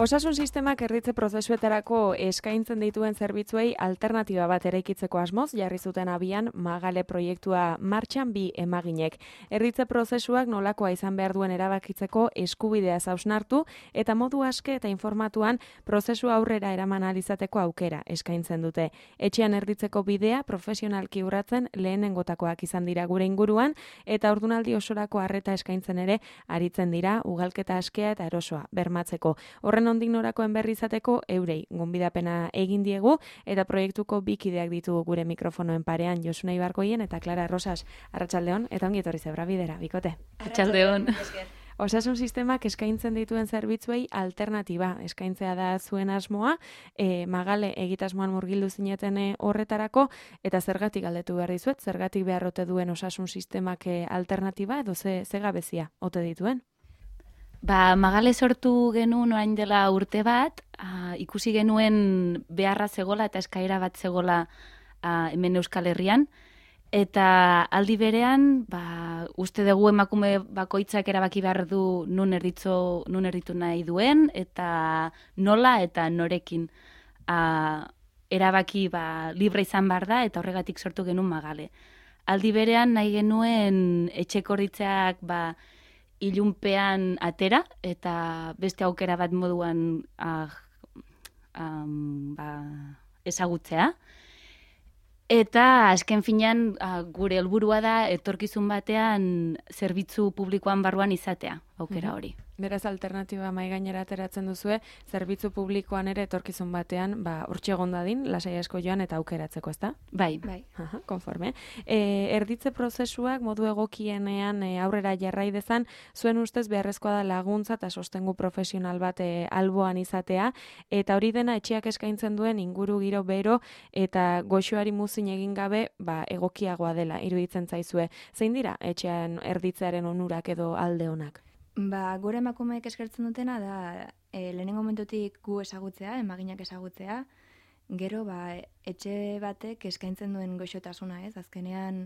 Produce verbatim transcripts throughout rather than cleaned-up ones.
Osasun sistemak erditze prozesuetarako eskaintzen dituen zerbitzuei alternatiba bat eraikitzeko asmoz jarri zuten abian Magale proiektua martxan bi emaginek. Erditze prozesuak nolakoa izan behar duen erabakitzeko eskubidea hausnartu eta modu aske eta informatuan prozesu aurrera eraman ahal izateko aukera eskaintzen dute. Etxean erditzeko bidea profesionalki urratzen lehenengotakoak izan dira gure inguruan eta ordunaldi osorako arreta eskaintzen ere aritzen dira ugalketa askea eta erosoa bermatzeko. Horren ondik norakoen berri izateko eurei gonbidapena egin diegu eta proiektuko bikideak ditugu gure mikrofonoen parean Josune Ibargoien eta Clara Rosas. Arratsaldeon eta ongi etorri Zebra Bidera, bikote. Arratsaldeon. Osasun sistemak eskaintzen dituen zerbitzuei alternatiba eskaintzea da zuen asmoa, e, Magale egitasmoan murgildu zineten horretarako, eta zergatik galdetu behar dizuet, zergatik beharrote duen osasun sistemak alternatiba edo ze, ze gabezia ote dituen? Ba, Magale sortu genuen orain dela urte bat, a, ikusi genuen beharra zegola eta eskaera bat zegola a, hemen Euskal Herrian, eta aldi berean, ba, uste dugu emakume bakoitzak erabaki behar du nun erditzo, nun erditu nahi duen, eta nola eta norekin a, erabaki ba, libre izan behar da, eta horregatik sortu genuen Magale. Aldi berean nahi genuen etxeko erditzeak ba, ilunpean atera, eta beste aukera bat moduan ah, um, ba, ezagutzea. Eta azken finean ah, gure helburua da etorkizun batean zerbitzu publikoan barruan izatea, aukera hori. Beraz, alternatiba mai gainera ateratzen duzue, zerbitzu publikoan ere etorkizun batean, ba, hortxe egon dadin, lasai asko joan eta aukeratzeko, ezta? Bai. Bai. Aha, konforme. E, erditze prozesuak modu egokienean e, aurrera jarrai dezan, zuen ustez beharrezkoa da laguntza eta sostengu profesional bat e, alboan izatea, eta hori dena etxeak eskaintzen duen inguru giro bero eta goxoari muzin egin gabe, ba, egokiagoa dela, iruditzen zaizue. Zein dira etxean erditzearen onurak edo alde onak? Ba, gure emakumeek eskertzen dutena da e, lehenengo momentutik gu ezagutzea, emaginak ezagutzea, gero ba, etxe batek eskaintzen duen goxotasuna, ez? Azkenean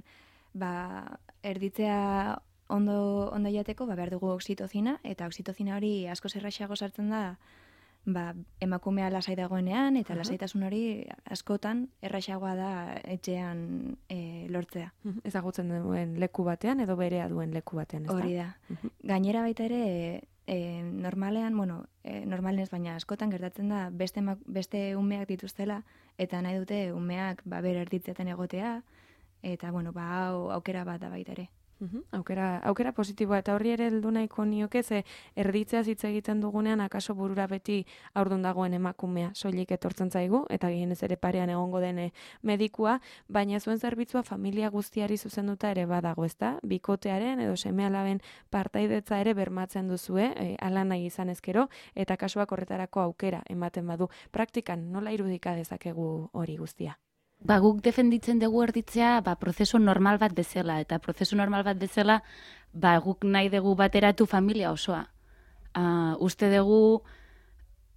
ba, erditzea ondo, ondo jateko ba, behar dugu oxitozina, eta oxitozina hori asko zerraxeago sartzen da ba, emakumea lasai dagoenean, eta uh-huh. lasaitasun hori askotan erraxagoa da etxean e, lortzea. Uh-huh. Ezagutzen duen leku batean edo berea duen leku batean, ez da? Hori da. Uh-huh. Gainera baita ere, e, normalean, bueno, e, normalen ez baina askotan gertatzen da beste, beste umeak dituztela, eta nahi dute umeak ba, bere erditzetan egotea, eta bueno, ba, hau aukera bat da baita ere. Uhum, aukera, aukera positiboa, eta horri ere heldu nahiko nioke, ze erditzea hitz egiten dugunean akaso burura beti haurdun dagoen emakumea soilik etortzen zaigu, eta gehienez ere parean egongo den medikua, baina zuen zerbitzua familia guztiari zuzenduta ere badago, ezta? Bikotearen edo seme-alaben partaidetza ere bermatzen duzue, e, ala nahi izan ezkero, eta kasuak horretarako aukera ematen badu. Praktikan nola irudika dezakegu hori guztia? Ba, guk defenditzen dugu erditzea ba, prozesu normal bat bezala, eta prozesu normal bat bezala ba, guk nahi dugu bateratu familia osoa. Uh, uste dugu,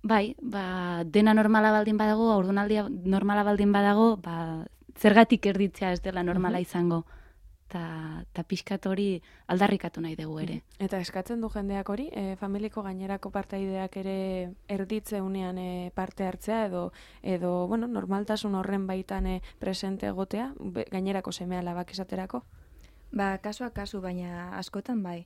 bai, ba, dena normala baldin badago, haurdunaldia normala baldin badago, ba, zergatik erditzea ez dela normala izango. Eta pixkat hori aldarrikatu nahi dugu ere. Eta eskatzen du jendeak hori, e, familiko gainerako partaideak ere erditze unean e, parte hartzea edo, edo bueno, normaltasun horren baitan e, presente egotea, be, gainerako seme-alabak esaterako? Ba, kasua kasu, baina askotan bai.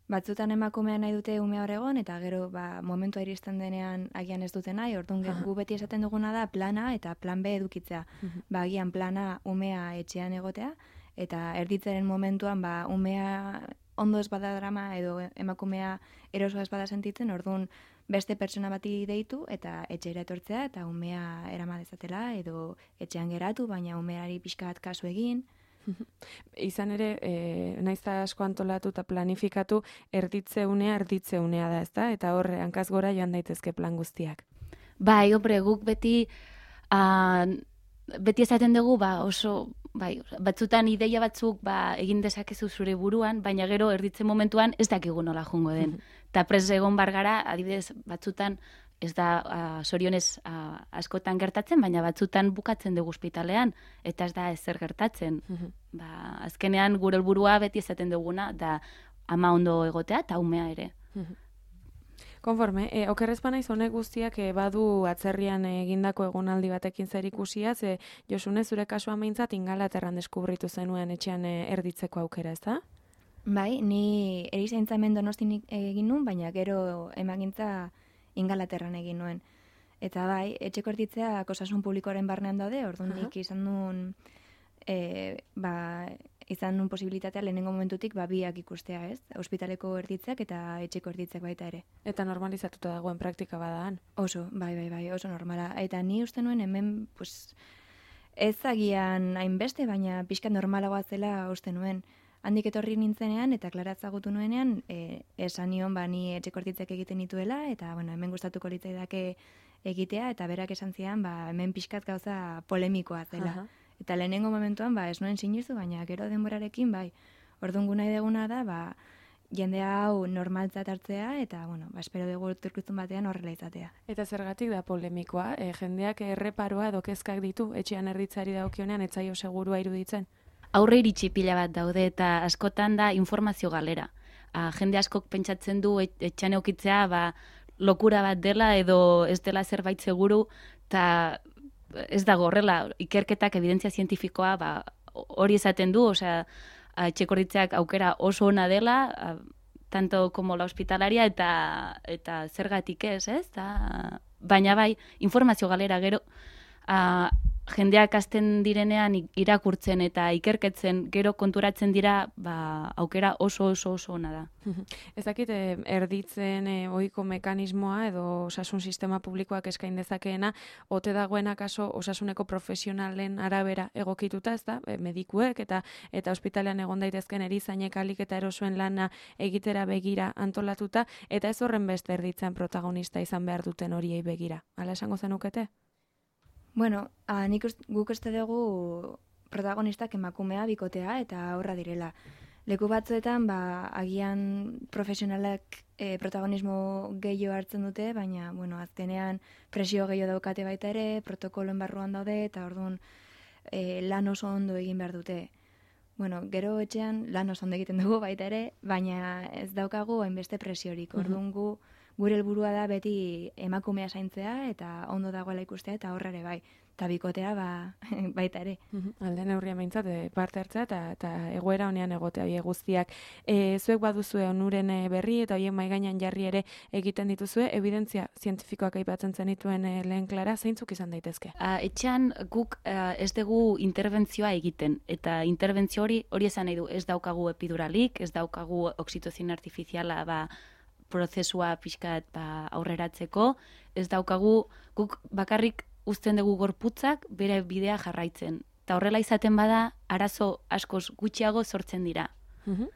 Batzutan emakumea nahi dute umea hor egon, eta gero ba, momentua iristen denean agian ez dute nahi, orduan gu beti esaten duguna da plana eta plan B edukitzea. Ba, agian plana umea etxean egotea, eta erditzaren momentuan ba, umea ondo ez bada drama edo emakumea eroso ez bada sentitzen, orduan beste pertsona bati deitu eta etxera etortzea eta umea erama dezatela edo etxean geratu, baina umeari pixka bat kasu egin. Izan ere, e, naiz eta asko antolatu eta planifikatu, erditze unea, erditze unea da, ezta? Eta horre, hankaz gora joan daitezke plan guztiak. Bai, hombre, guk beti, uh, beti esaten dugu, ba, oso, bai, batzutan ideia batzuk ba, egin dezakezu zure buruan, baina gero erditzen momentuan ez dakigu nola jongo den. Eta prez egon bargara, adibidez, batzutan, ez da, uh, sorionez uh, askotan gertatzen, baina batzutan bukatzen dugu ospitalean, eta ez da ezer gertatzen. Ba, azkenean gure helburua beti esaten duguna, da ama ondo egotea eta umea ere. Konforme, e, okerrez banaiz honek guztiak e, badu atzerrian egindako egonaldi batekin zer ikusia, ze Josune zure kasua meintzat Ingalaterran deskubritu zenuen etxean e, erditzeko aukera, ez da? Bai, ni erizaintza hemen Donostin egin nuen, baina gero emagintza Ingalaterran egin nuen. Eta bai, etxeko erditzeak osasun publikoaren barnean daude, orduan nik izan nuen, e, ba, izan nuen posibilitatea lehenengo momentutik ba, biak ikustea, ez? Ospitaleko erditzeak eta etxeko erditzeak baita ere. Eta normalizatuta dagoen praktika badaan. Oso, bai, bai, bai, oso normala. Eta ni uste nuen hemen, pues, ez agian hainbeste, baina pixka normalagoa zela uste nuen. Handik etorri nintzenean eta klaratzagutu nuenean, e, esan nion ba, ni etxeko erditzeak egiten dituela, eta bueno, hemen gustatuko litzaidake egitea, eta berak esan zian, ba, hemen pixkat gauza polemikoa zela. Aha. Eta lehenengo momentuan, ba, ez nuen sinizu, baina gero denborarekin, bai, orduan nahi deguna da, ba, jende hau normaltzat hartzea, eta, bueno, ba, espero dugu turkuzun batean horrela izatea. Eta zergatik da polemikoa? E, jendeak erreparoa edo kezkak ditu, etxean erditzari daukionean, etzaio segurua iruditzen? Aurre iritsi pila bat daude eta askotan da informazio galera. A, jende askok pentsatzen du et, etxean eukitzea ba, lokura bat dela edo ez dela zerbait seguru, eta ez dago horrela, ikerketak evidentzia zientifikoa ba, hori esaten du, osea, etxeko erditzeak aukera oso ona dela, a, tanto como la hospitalaria eta eta zergatik ez, ez? Ta, baina bai, informazio galera gero, a, jendeak hasten direnean irakurtzen eta ikerketzen gero konturatzen dira, ba, aukera oso oso oso ona da. Ez dakit, erditzen e, ohiko mekanismoa edo osasun sistema publikoak eskain dezakeena, ote dagoena kaso osasuneko profesionalen arabera egokituta, ez da, medikuek eta eta ospitalean egon daitezken erizainek alik eta erosoen lana egitera begira antolatuta, eta ez horren beste erditzen protagonista izan behar duten horiei begira. Hala esango zenukete? Bueno, a, nik ust, guk uste dugu protagonistak emakumea bikotea eta aurra direla. Leku batzuetan, ba, agian profesionalak e, protagonismo gehiago hartzen dute, baina, bueno, azkenean presio gehiago daukate baita ere, protokoloen barruan daude, eta orduan e, lan oso ondo egin behar dute. Bueno, gero etxean lan oso ondo egiten dugu baita ere, baina ez daukagu hainbeste presiorik. Orduan gu, gure helburua da beti emakumea zaintzea eta ondo dagoela ikustea eta horrere bai. Eta bikotea ba, baita ere. Alde neurria meintzat parte hartzea eta, eta egoera honean egotea hie guztiak. E, zuek baduzue onuren berri eta hoien mai gainean jarri ere egiten dituzue, evidentzia zientifikoak aipatzen zenituen e, lehen Klara, zeintzuk izan daitezke? A, etxean guk a, ez dugu interbentzioa egiten, eta interbentzio hori hori esan nahi du, ez daukagu epiduralik, ez daukagu oxitozin artifiziala ba, prozesua pixkat ba, aurreratzeko, ez daukagu guk bakarrik uzten dugu gorputzak bere bidea jarraitzen. Eta horrela izaten bada, arazo askoz gutxiago sortzen dira. Uh-huh.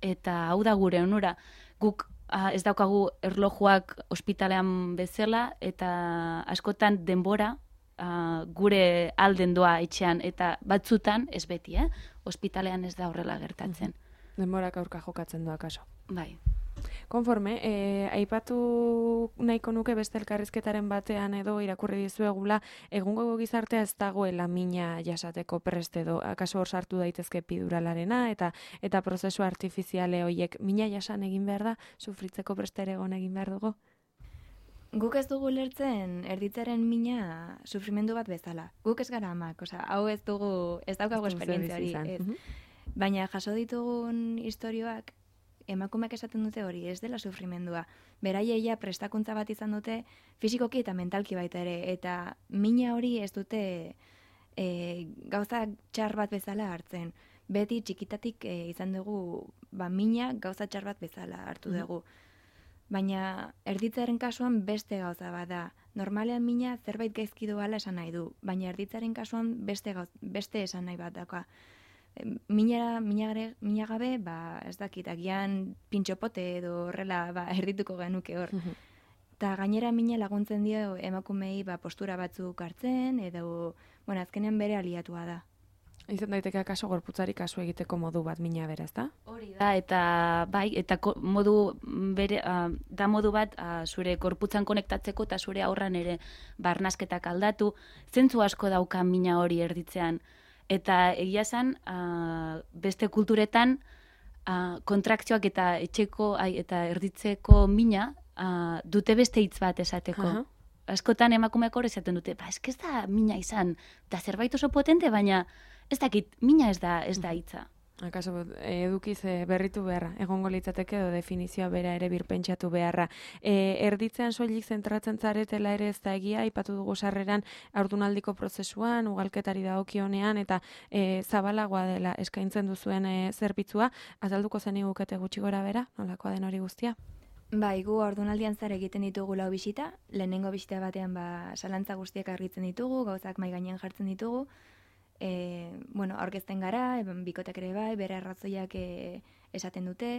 Eta hau da gure onura. Guk a, ez daukagu erlojuak ospitalean bezala, eta askotan denbora a, gure alden doa etxean, eta batzutan ez beti, eh? Ospitalean ez da horrela gertatzen. Uh-huh. Denborak aurka jokatzen doa kaso. Bai. Konforme, eh, aipatu nahiko nuke beste elkarrizketaren batean edo irakurri dizuegula, egungo gizartea ez dagoela mina jasateko prest edo, akaso hor sartu daitezke epiduralarena eta eta prozesu artifiziale horiek mina jasan egin behar da, sufritzeko prest ere egon egin behar dugu? Guk ez dugu lertzen erditzaren mina sufrimendu bat bezala. Guk ez gara amak, osea, hau ez dugu, ez daukago esperientzia hori. Uh-huh. Baina jaso ditugun istorioak, emakumeak esaten dute hori, ez dela sufrimendua. Beraiei prestakuntza bat izan dute fisikoki eta mentalki baita ere, eta mina hori ez dute e, gauza txar bat bezala hartzen. Beti txikitatik e, izan dugu ba, mina gauza txar bat bezala hartu dugu. Baina erditzaren kasuan beste gauza bat da. Normalean mina zerbait gaizki doala esan nahi du, baina erditzaren kasuan beste, gauz, beste esan nahi bat dauka. Minara, minagare, minagabe, ba, ez dakit, agian pintxopote edo horrela ba, erdituko genuke hor. Eta gainera mina laguntzen dio emakumei ba, postura batzuk hartzen, edo, bueno, azkenean bere aliatua da. Izan daiteke kaso gorputzari kasu egiteko modu bat mina bera, ezta? Hori da, eta bai, eta modu bere, uh, da modu bat uh, zure gorputzan konektatzeko eta zure aurran ere barnasketak aldatu, zentzu asko dauka mina hori erditzean. Eta egia zen, uh, beste kulturetan uh, kontrakzioak eta etxeko ai, eta erditzeko mina uh, dute beste hitz bat esateko. Aha. Askotan emakumeak hor esaten dute, ba, eske ez da mina izan, da zerbait oso potente, baina ez dakit, mina ez da, ez da hitza. Akaso edukiz e, berritu beharra, egongo litzateke edo definizioa bera ere birpentsatu beharra. E, erditzean soilik zentratzen zaretela ere ez da egia, aipatu dugu sarreran haurdunaldiko prozesuan, ugalketari dagokionean eta e, zabalagoa dela eskaintzen duzuen e, zerbitzua, azalduko zenigukete gutxi gora bera, nolakoa den hori guztia? Bai, gu haurdunaldian zer egiten ditugu lau bisita, lehenengo bisita batean ba, salantza guztiak argitzen ditugu, gauzak mai gainean jartzen ditugu, E, bueno, aurkezten gara, eben, bikotek ere bai, bere arrazoiak e, esaten dute,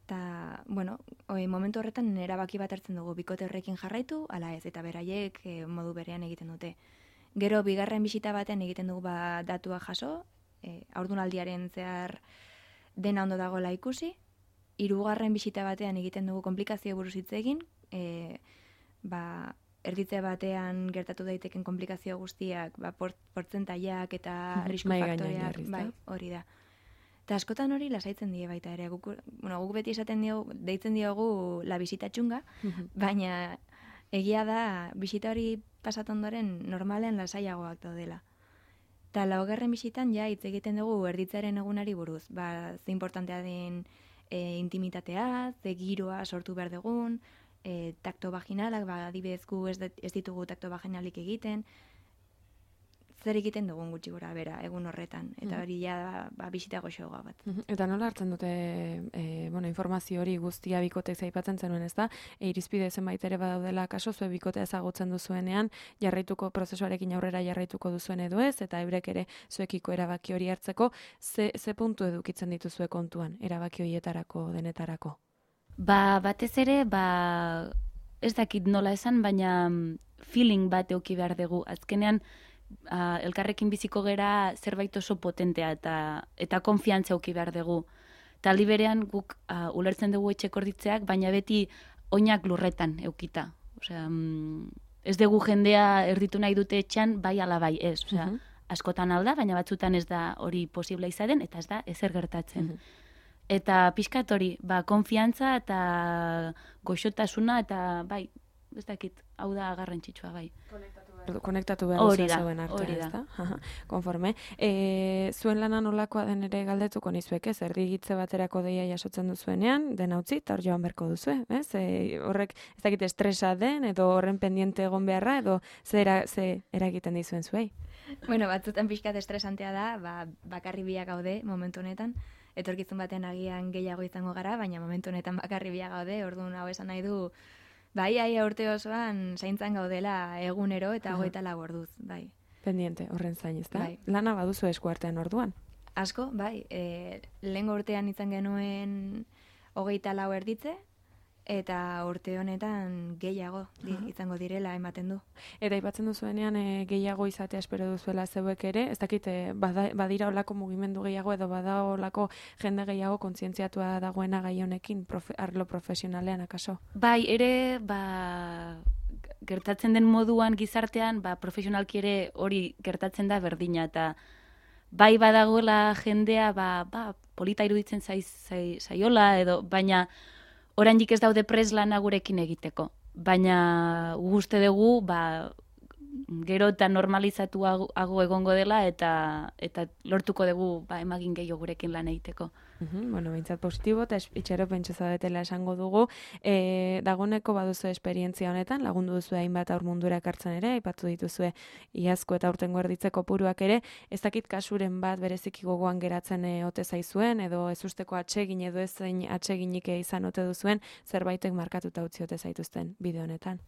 eta, bueno, oi, momentu horretan erabaki bat hartzen dugu, bikote horrekin jarraitu, ala ez, eta beraiek e, modu berean egiten dute. Gero, bigarren bisita batean egiten dugu ba, datua jaso, e, haurdunaldiaren zehar dena ondo dagoela ikusi, hirugarren bisita batean egiten dugu konplikazio buruz hitz egin, e, ba, erditze batean gertatu daiteken komplikazio guztiak, ba, port, portzentaiak eta arrisku faktoreak, bai, hori da. Eta askotan hori lasaitzen die baita ere. Guk, bueno, guk beti esaten diogu, deitzen diogu la bisita txunga, baina egia da bisita hori pasatu ondoren normalean lasaiagoak daudela. Eta laugarren bisitan ja hitz egiten dugu erditzearen egunari buruz. Ba, ze importantea den e, intimitatea, ze giroa sortu behar dugun, E, takto vaginalak, ba, adibidez gu ez, ez ditugu takto vaginalik egiten, zer egiten dugun gutxi gora bera egun horretan, eta hori ja ba, bisita goxoa bat. Eta nola hartzen dute e, bueno, informazio hori guztia bikotek zaipatzen zenuen, ez da? E, irizpide zenbait ere badaudela kaso, zue bikote ezagutzen duzuenean, jarraituko prozesuarekin aurrera jarraituko duzuen edo ez, eta eurek ere zuekiko erabaki hori hartzeko, ze, ze puntu edukitzen dituzue kontuan, erabaki horietarako, denetarako? Ba, batez ere, ba, ez dakit nola esan, baina feeling bat euki behar dugu. Azkenean, uh, elkarrekin biziko gera zerbait oso potentea eta eta konfiantza euki behar dugu. Taldi berean guk uh, ulertzen dugu etxeko erditzeak, baina beti oinak lurretan eukita. Osea, mm, ez dugu jendea erditu nahi dute etxean, bai ala bai ez. Osea, uh-huh. Askotan alda, baina batzutan ez da hori posible izaten, eta ez da ezer gertatzen. Uh-huh. Eta pixkat hori, ba, konfiantza eta goxotasuna eta bai, ez dakit, hau da garrantzitsua bai. Konektatu behar duzuen zeuen artean, ez da? Konforme. E, zuen lana nolakoa den ere galdetuko nizuek, ez? Erdigitze baterako deia jasotzen duzuenean, den utzi, eta hor joan berko duzue, ez? E, horrek, ez dakit estresa den, edo horren pendiente egon beharra, edo ze, era, ze eragiten dizuen zuei? Bueno, batzutan pixkat estresantea da, ba, bakarri biak gaude momentu honetan, etorkizun batean agian gehiago izango gara, baina momentu honetan bakarri biak gaude, orduan hau esan nahi du, bai, ai, urte osoan zaintzan gaudela egunero eta hogeita lau orduz, bai. Pendiente, horren zain, ez da? Bai. Lana baduzu eskuartean orduan? Asko, bai, e, lehengo urtean izan genuen hogeita lau erditze, eta urte honetan gehiago di, izango direla ematen du. Eta aipatzen duzuenean e, gehiago izatea espero duzuela zeuek ere, ez dakit e, bada, badira olako mugimendu gehiago edo bada olako jende gehiago kontzientziatua dagoena gai honekin profe, arlo profesionalean akaso? Bai, ere, ba, gertatzen den moduan gizartean, ba, profesionalki ere hori gertatzen da berdina, eta bai badagoela jendea, ba, ba, polita iruditzen zaiz, zai, zaiola, edo, baina oraindik ez daude pres lana gurekin egiteko. Baina uste dugu, ba, gero eta normalizatu hago egongo dela eta eta lortuko dugu ba, emagin gehiago gurekin lan egiteko. Uhum, bueno, bintzat positibo eta itxero pentsa zaudetela esango dugu. E, dagoneko baduzu esperientzia honetan, lagundu duzu hainbat aur mundura ekartzen ere, aipatu dituzue iazko eta urtengo erditzeko puruak ere, ez dakit kasuren bat bereziki gogoan geratzen e, ote zaizuen, edo ez usteko atsegin edo ezein atseginik izan ote duzuen, zerbaitek markatuta utzi ote zaituzten bide honetan.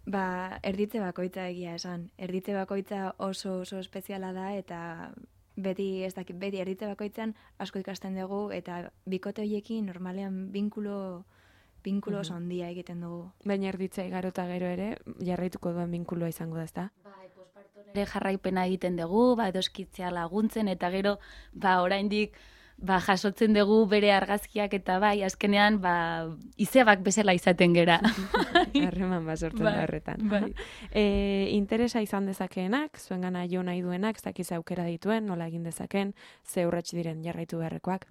Ba, erditze bakoitza egia esan. Erditze bakoitza oso oso espeziala da eta beti ez dakit, beti erditze bakoitzan asko ikasten dugu eta bikote horiekin normalean binkulo binkulo oso handia egiten dugu. Baina erditzea igaro eta gero ere jarraituko duen binkuloa izango da, ezta? Bai, posparton ere jarraipena egiten dugu, ba edoskitzea laguntzen eta gero ba oraindik ba, jasotzen dugu bere argazkiak eta bai, azkenean, ba, izebak bezala izaten gera. Harreman ba sortzen da horretan. Bai. E, interesa izan dezakeenak, zuen gana jo nahi duenak, ez dakiz aukera dituen, nola egin dezaken, ze urratsi diren jarraitu beharrekoak?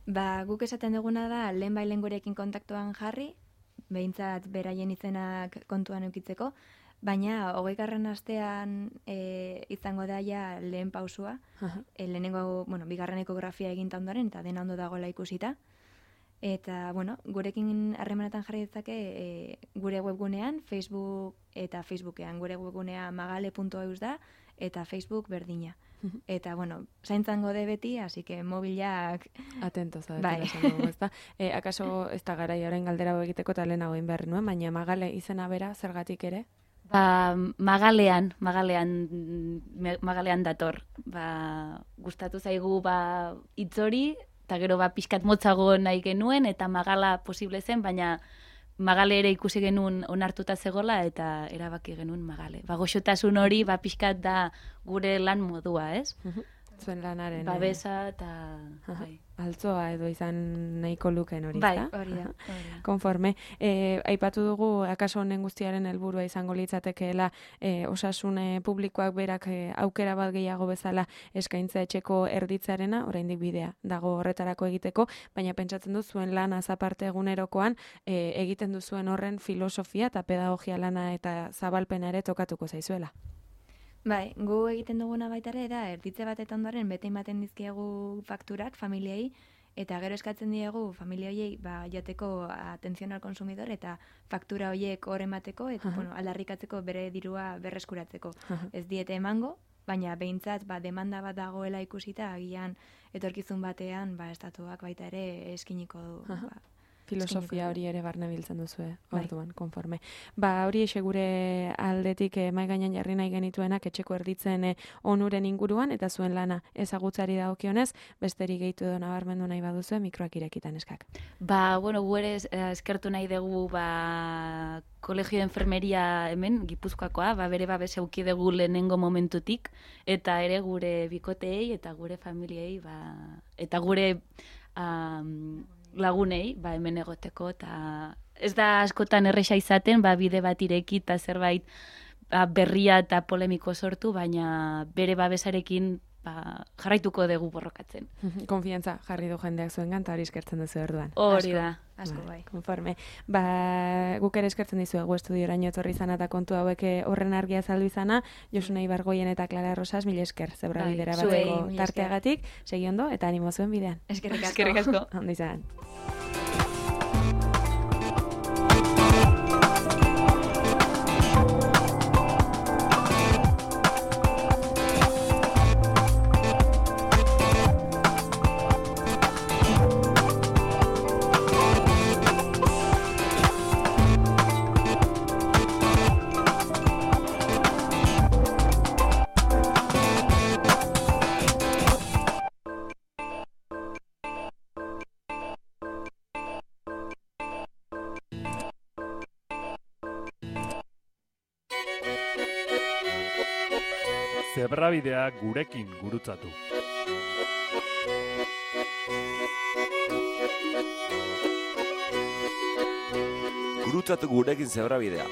Ba, guk esaten duguna da, lehen bai lehen gurekin kontaktuan jarri, behintzat beraien izenak kontuan eukitzeko, baina hogeigarren astean e, izango da ja lehen pausua, e, lehenengo, bueno, bigarren ekografia eginta ondoren, eta dena ondo dagoela ikusita. Eta, bueno, gurekin harremanetan jarri ditzake e, gure webgunean, Facebook eta Facebookean. Gure webgunea magale puntu eus da, eta Facebook berdina. Eta, bueno, zaintzan gode beti, así que mobilak... Atento, zabetu, bai. esan dugu, ez da. E, akaso ez da gara jaren galdera egiteko eta lehenago inberri nuen, baina magale izena bera, zergatik ere? Ba, magalean, magalean, me- magalean dator. Ba, gustatu zaigu ba, hitz hori, eta gero ba, pixkat motzago nahi genuen, eta magala posible zen, baina magale ere ikusi genuen onartuta zegola, eta erabaki genuen magale. Ba, goxotasun hori, ba, pixkat da gure lan modua, ez? Zuen lanaren. Babesa eta... Aha. bai. Altzoa edo izan nahiko luken hori, Bai, ezta? Hori da. Aha. Konforme. E, aipatu dugu, akaso honen guztiaren helburua izango litzatekeela e, osasun e, publikoak berak e, aukera bat gehiago bezala eskaintza etxeko erditzarena, oraindik bidea dago horretarako egiteko, baina pentsatzen du zuen lan azaparte egunerokoan e, egiten duzuen horren filosofia eta pedagogia lana eta zabalpena ere tokatuko zaizuela. Bai, gu egiten duguna baita ere da, erditze bat eta ondoren bete ematen dizkiegu fakturak familiei, eta gero eskatzen diegu familia horiei ba, jateko atención al consumidor eta faktura horiek hor emateko, eta Aha. bueno, aldarrikatzeko bere dirua berreskuratzeko. Aha. Ez diete emango, baina behintzat ba, demanda bat dagoela ikusita, agian etorkizun batean ba, estatuak baita ere eskiniko du. Aha. Ba, Filosofia eskiniko hori ere barne biltzen duzue, Bai. orduan, konforme. Ba, hori exe gure aldetik eh, mai gainean jarri nahi genituenak etxeko erditzen eh, onuren inguruan, eta zuen lana ezagutzari dagokionez, besterik gehitu edo nabarmendu nahi baduzue, mikroak irekitan eskak. Ba, bueno, gu ere eh, eskertu nahi dugu ba, Kolegio de Enfermeria hemen, Gipuzkoakoa, ba, bere babes euki dugu lehenengo momentutik, eta ere gure bikoteei eta gure familiei, ba, eta gure um, lagunei, ba, hemen egoteko, eta ez da askotan erresa izaten, ba, bide bat ireki eta zerbait ba, berria eta polemiko sortu, baina bere babesarekin ba, jarraituko dugu borrokatzen. Konfiantza jarri du jendeak zuengan, eta hori eskertzen duzu orduan. Hori Asko. da. asko bai. Konforme. Ba, guk ere eskertzen dizuegu estudioraino etorri izana eta kontu hauek eh, horren argia azaldu izana, Josune Ibargoien eta Clara Rosas, mila esker, zebra Bai, bidera zuei, bateko mila esker. tarteagatik, segi ondo, eta animo zuen bidean. Eskerrik asko. Eskerrik asko. Ondo izan. Zebrabidea gurekin gurutzatu. Gurutzatu gurekin zebrabidea.